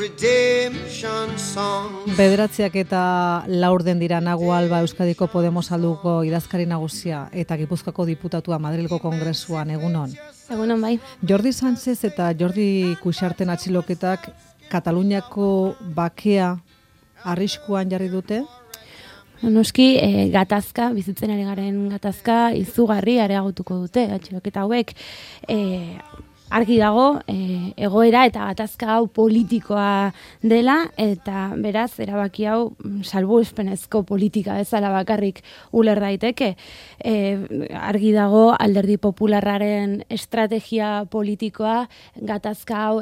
redemption songs. Bederatziak eta laurden dira Nago Alba Euskadiko Podemos alduko idazkari nagusia eta Gipuzkoako diputatua Madrilgo Kongresuan, egunon. Egunon bai. Jordi Sánchez eta Jordi Cuixarten atxiloketak Kataluniako bakea arriskuan jarri dute? Noski, gatazka, bizitzen ari garen gatazka, izugarri areagotuko dute, atxiloketa hauek. Argi dago, egoera eta gatazka hau politikoa dela, eta beraz, erabaki hau salbuespenezko politika bezala bakarrik uler daiteke. Argi dago, Alderdi Popularraren estrategia politikoa gatazka hau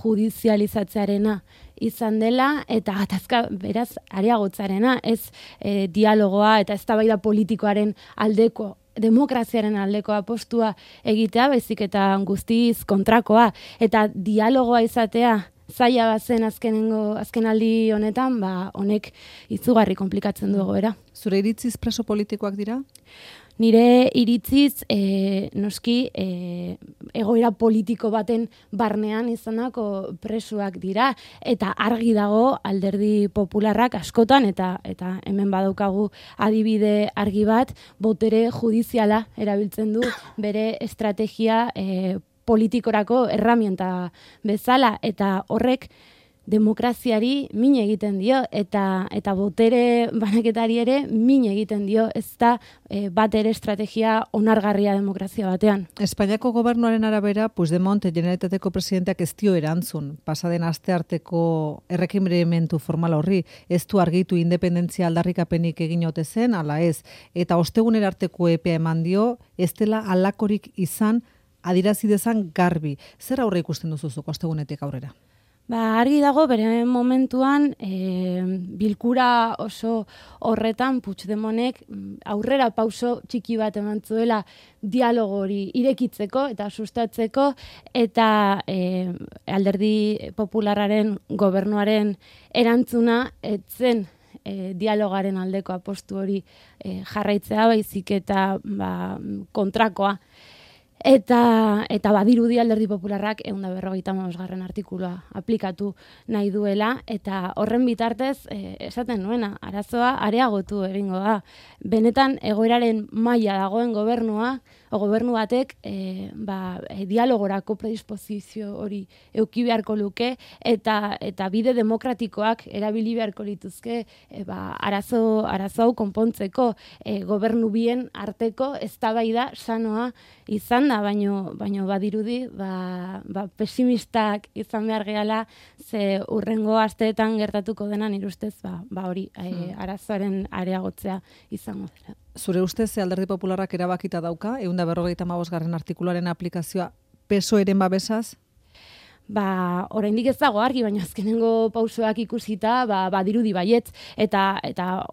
judizializatzearena izan dela, eta gatazka beraz areagotzarena, ez dialogoa eta eztabaida politikoaren aldeko, demokraziaren aldeko apostua egitea, baizik eta guztiz kontrakoa, eta dialogoa izatea zaila bazen azkenaldi honetan, honek izugarri komplikatzen du egoera. Zure iritziz preso politikoak dira? Nire iritziz, noski, egoera politiko baten barnean izanako presuak dira, eta argi dago Alderdi Popularrak askotan, eta hemen badaukagu adibide argi bat, botere judiziala erabiltzen du bere estrategia politikorako erramienta bezala, eta horrek demokraziari min egiten dio, eta botere banaketari ere min egiten dio, ez da bat ere estrategia onargarria demokrazia batean. Espainiako gobernuaren arabera, Puigdemont Generalitateko presidenteak ez dio erantzun, pasaden astearteko errekimendu formal horri, ez du argitu independentzia aldarrikapenik egin ote zen, ala ez, eta ostegunera arteko epea eman dio, ez dela halakorik izan, adierazi dezan garbi. Zer aurre ikusten duzuzuko ostegunetik aurrera? Argi dago, bere momentuan, bilkura oso horretan Puigdemontek aurrera pauso txiki bat eman zuela dialogo hori irekitzeko eta sustatzeko, eta Alderdi Popularraren gobernuaren erantzuna etzen dialogaren aldeko apostu hori jarraitzea, baizik eta kontrakoa. Eta badirudi Alderdi Popularrak 155. Artikulua aplikatu nahi duela, eta horren bitartez, esaten nuena, arazoa areagotu egingo da. Benetan egoeraren maila dagoen gobernu batek dialogorako predisposizio hori eduki beharko luke, eta bide demokratikoak erabili beharko lituzke arazo hau konpontzeko, gobernu bien arteko eztabaida sanoa izan da, baino badirudi pesimistak izan behar gehala, ze urrengo asteetan gertatuko dena nire ustez hori arazoaren areagotzea izango dela. Zure ustez Alderdi Popularrak erabakita dauka 155. Artikuluaren aplikazioa PSOEren babesaz? Oraindik ez dago argi, baina azkenengo pausoak ikusita, badirudi baietz, eta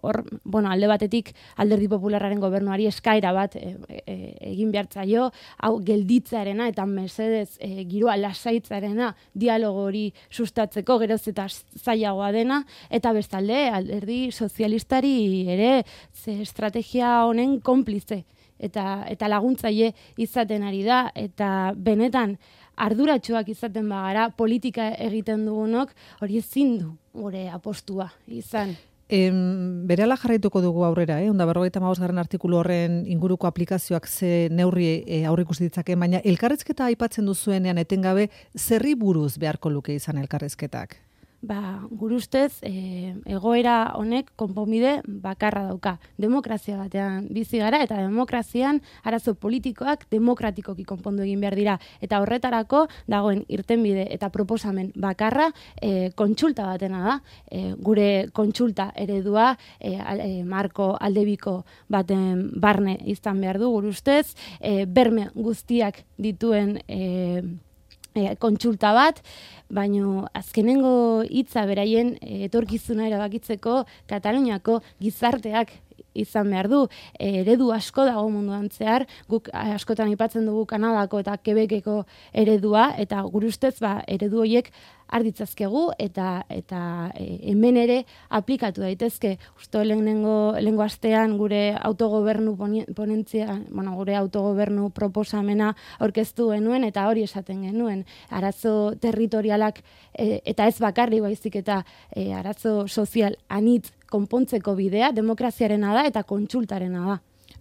hor, alde batetik Alderdi Popularraren gobernuari eskaera bat egin behartzaio, hau gelditzearena eta mesedez giroa lasaitzarena dialogo hori sustatzeko, geroz eta zailagoa dena, eta bestalde Alderdi Sozialistari ere estrategia honen konplize eta laguntzaile izaten ari da, eta benetan arduratsuak izaten bagara, politika egiten dugunok, hori ezin du gure apostua izan. Berehala jarraituko dugu aurrera, 155. Artikulu horren inguruko aplikazioak ze neurri aurreikusi ditzake, baina elkarrizketa aipatzen duzuenean etengabe zerri buruz beharko luke izan elkarrizketak? Gure ustez, egoera honek konponbide bakarra dauka. Demokrazia batean bizi gara, eta demokrazian arazo politikoak demokratikoki konpondu egin behar dira. Eta horretarako dagoen irtenbide eta proposamen bakarra kontsulta batena da. Gure kontsulta eredua marko aldebiko baten barne izan behar du, gure ustez, berme guztiak dituen kontsulta bat, baino azkenengo hitza beraien etorkizuna erabakitzeko Kataluniako gizarteak izan behar du. Eredu asko dago munduan zehar, guk askotan aipatzen dugu Kanadako eta Quebeceko eredua, eta gure ustez eredu horiek arditzazkegu eta hemen ere aplikatu daitezke. Uste lehenengo astean gure autogobernu ponentzia, gure autogobernu proposamena aurkeztu genuen eta hori esaten genuen. Arazo territorialak eta ez bakarri baizik eta arazo sozial anitz konpontzeko bidea demokraziarena da eta kontsultarena da.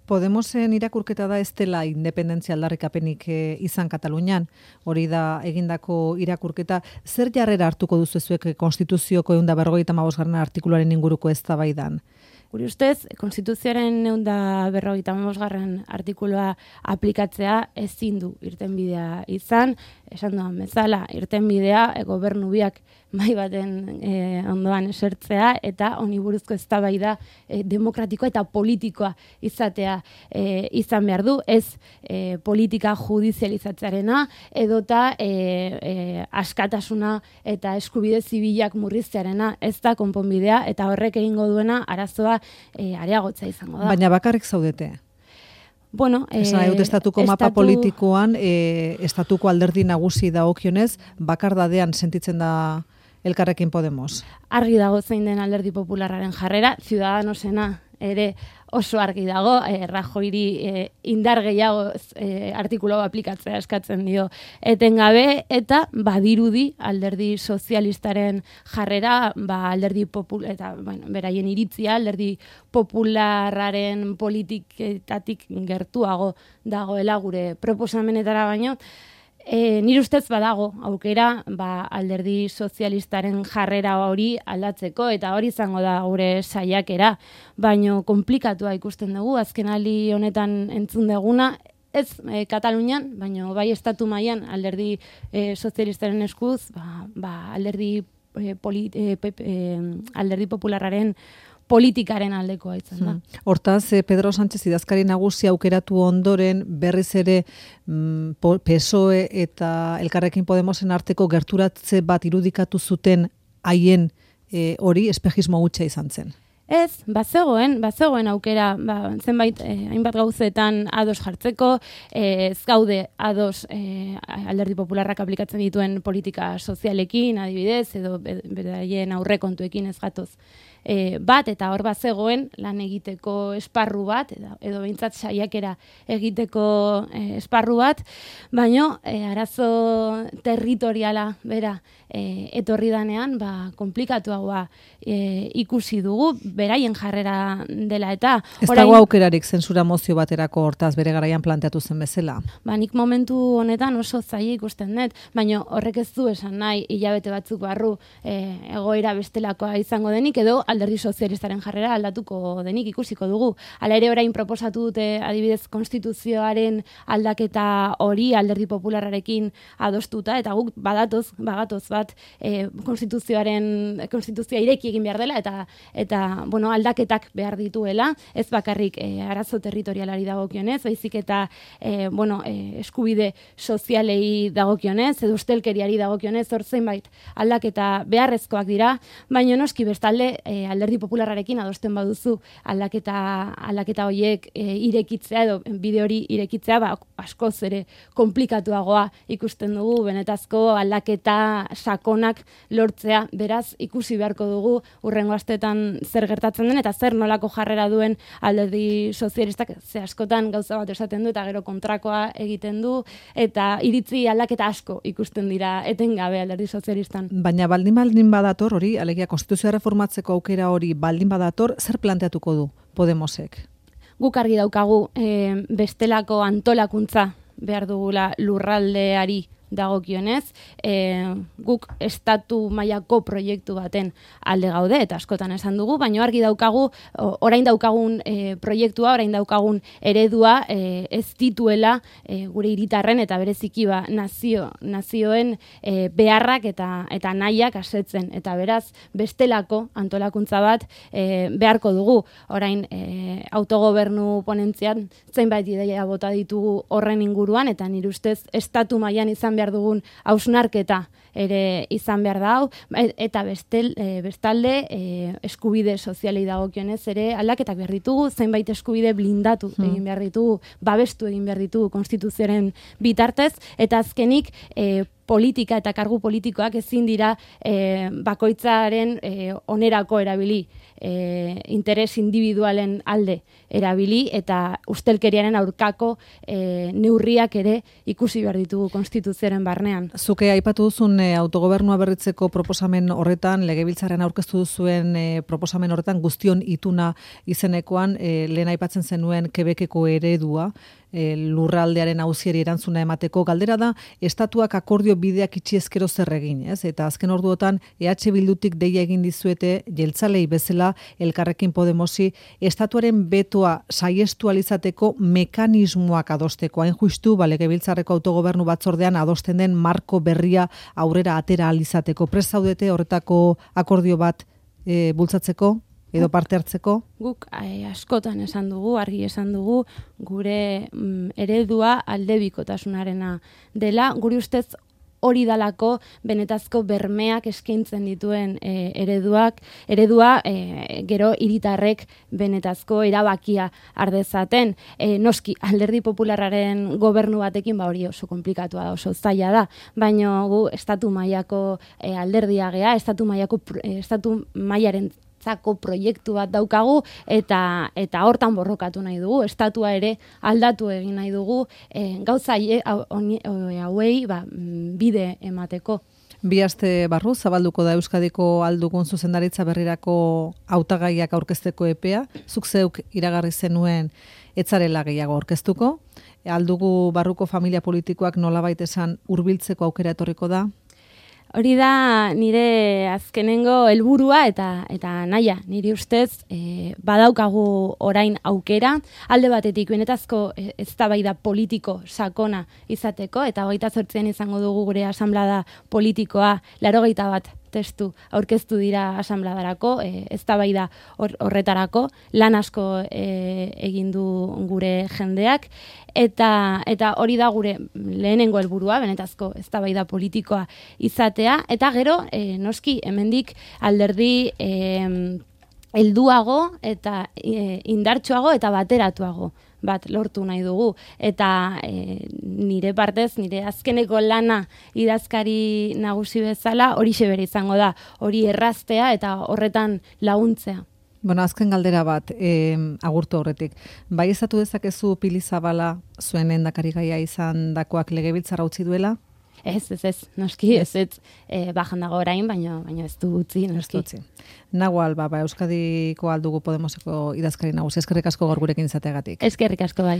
Podemosen irakurketa da ez dela independentzia aldarrikapenik izan Katalunian, hori da egindako irakurketa. Zer jarrera hartuko duzu zuek Konstituzioko 155. artikuluaren inguruko eztabaidan? Gure ustez, Konstituzioaren 155. artikulua aplikatzea ezin du irtenbidea izan, esan duan bezala, irtenbidea gobernu biak mai baten ondoan esertzea eta honi buruzko eztabaida demokratikoa eta politikoa izatea izan behar du, ez politika judizializatzearena edota askatasuna eta eskubide zibilak murriztearena, ez da konponbidea eta horrek egingo duena arazoa areagotza izango da. Baina bakarrik zaudete? Bueno, estatuko mapa politikoan, estatuko alderdi nagusi dagokionez, bakardadean sentitzen da Elkarrekin Podemos. Argi dago zein den Alderdi Popularraren jarrera, Ciudadanosena ere oso argi dago, Rajoyri indar gehiago artikulu aplikatzea eskatzen dio etengabe, eta badirudi Alderdi Sozialistaren jarrera, Alderdi eta beraien iritzia Alderdi Popularraren politiketatik gertuago dagoela gure proposamenetara baino. Nire ustez badago aukera Alderdi Sozialistaren jarrera hori aldatzeko eta hori izango da gure saiakera, baino konplikatua ikusten dugu azkenaldi honetan entzun deguna, ez Katalunian, baino bai estatu mailan Alderdi Sozialistaren eskuz, Alderdi Popularraren politikaren aldekoa izan da. Hortaz, Pedro Sánchez idazkari nagusi aukeratu ondoren berriz ere PSOE eta Elkarrekin Podemosen arteko gerturatze bat irudikatu zuten haien hori espejismo hutsa izan zen. Ez, bazegoen aukera, zenbait hainbat gauzetan ados jartzeko, ez gaude ados Alderdi Popularrak aplikatzen dituen politika sozialekin, adibidez, edo beraien aurrekontuekin ez gatoz bat, eta hor bazegoen lan egiteko esparru bat, edo behintzat saiakera egiteko esparru bat, baino arazo territoriala bera etorri danean, komplikatuagoa ikusi dugu, beraien jarrera dela eta... Ez dago aukerarik zentsura mozio baterako hortaz bere garaian planteatu zen bezala? Nik momentu honetan oso zaila ikusten dut, baina horrek ez du esan nahi hilabete batzuk barru egoera bestelakoa izango denik edo Alderdi Sozialistaren jarrera aldatuko denik ikusiko dugu. Hala ere orain proposatu dute adibidez konstituzioaren aldaketa hori Alderdi Popularrarekin adostuta eta guk bagatoz bat konstituzioa ireki egin behar dela eta aldaketak behar dituela, ez bakarrik arazo territorialari dagokionez, baizik eta eskubide sozialei dagokionez, edo ustelkeriari dagokionez, hor zenbait aldaketa beharrezkoak dira, baina noski bestalde Alderdi Popularrarekin adosten baduzu aldaketa horiek irekitzea edo bide hori irekitzea, askoz ere komplikatuagoa ikusten dugu, benetazko aldaketa sakonak lortzea, beraz ikusi beharko dugu hurrengo asteetan zer gertatzen den eta zer nolako jarrera duen Alderdi Sozialistak, ze askotan gauza bat esaten du eta gero kontrakoa egiten du eta iritzi aldaketa asko ikusten dira etengabe Alderdi Sozialistan. Baina baldin badator hori, alegia konstituzioa reformatzeko aukera hori baldin badator, zer planteatuko du Podemosek? Guk argi daukagu bestelako antolakuntza behar dugula lurraldeari dagokionez, guk estatu mailako proiektu baten alde gaude, eta askotan esan dugu, baina argi daukagu, orain daukagun proiektua, orain daukagun eredua ez dituela gure hiritarren eta bereziki nazioen beharrak eta nahiak asetzen, eta beraz bestelako antolakuntza bat beharko dugu. Orain autogobernu ponentzian zenbait ideia bota ditugu horren inguruan, eta nire ustez estatu mailan izan behar dugun hausnarketa ere izan behar da hau, eta bestalde eskubide sozialei dagokionez ere aldaketak behar ditugu, zenbait eskubide blindatu egin behar ditugu, babestu egin behar ditugu konstituzioaren bitartez, eta azkenik politika eta kargu politikoak ezin dira bakoitzaren onerako erabili, interes individualen alde erabili, eta ustelkeriaren aurkako neurriak ere ikusi behar ditugu konstituzioaren barnean. Zuke aipatu duzun autogobernua berritzeko proposamen horretan, legebiltzarrean aurkeztu duzuen proposamen horretan guztion ituna izenekoan, lehen aipatzen zenuen Quebeceko eredua, lurraldearen auziari erantzuna emateko. Galdera da, estatuak akordio bideak itxi ezkero zer egin, ez? Eta azken orduotan EH Bildutik deia egin dizuete jeltzalei bezala Elkarrekin Podemosi estatuaren betoa saiestu alizateko mekanismoak adosteko. Hain justu, legebiltzarreko autogobernu batzordean adosten den marko berria aurrera atera alizateko. Prest zaudete horretako akordio bat bultzatzeko? Edo parte hartzeko? Guk askotan esan dugu, argi esan dugu, gure eredua aldebikotasunarena dela, guri ustez hori dalako benetazko bermeak eskaintzen dituen eredua gero hiritarrek benetazko erabakia ardezaten. Noski, Alderdi Popularraren gobernu batekin hori oso komplikatua da, oso zaila da, baina gu estatu mailako alderdia gea, estatu mailaren proiektu bat daukagu eta hortan borrokatu nahi dugu, estatua ere aldatu egin nahi dugu, gauza hauei bide emateko. Bi aste barru zabalduko da Euskadiko aldugun zuzendaritza berrirako hautagaiak aurkezteko epea, zuk zeuk iragarri zenuen etzarela gehiago aurkeztuko, aldugu barruko familia politikoak nolabait esan hurbiltzeko aukera etorriko da? Hori da nire azkenengo helburua eta nahia, niri ustez badaukagu orain aukera, alde batetik benetazko eztabaida politiko sakona izateko, eta 28an izango dugu gure asanblada politikoa, 81 testu aurkeztu dira asanbladarako, eztabaida horretarako, lan asko egin du gure jendeak, eta hori da gure lehenengo helburua, benetazko eztabaida politikoa izatea, eta gero, noski, hemendik alderdi helduago eta indartsuago eta bateratuago bat lortu nahi dugu. Eta nire partez, nire azkeneko lana idazkari nagusi bezala, horixe bere izango da, hori erraztea eta horretan laguntzea. Bueno, azken galdera bat, agurtu horretik. Bai ezatu dezakezu Pili Zabala zuen lehendakarigaia izan dakoak legebiltzarra utzi duela? Ez, noski, ez, bajan dago orain, baina ez du utzi, noski. Nahual, Euskadiko aldugu Podemoseko idazkari nagusi, eskerrik asko gaur gurekin izateagatik. Eskerrik asko bai.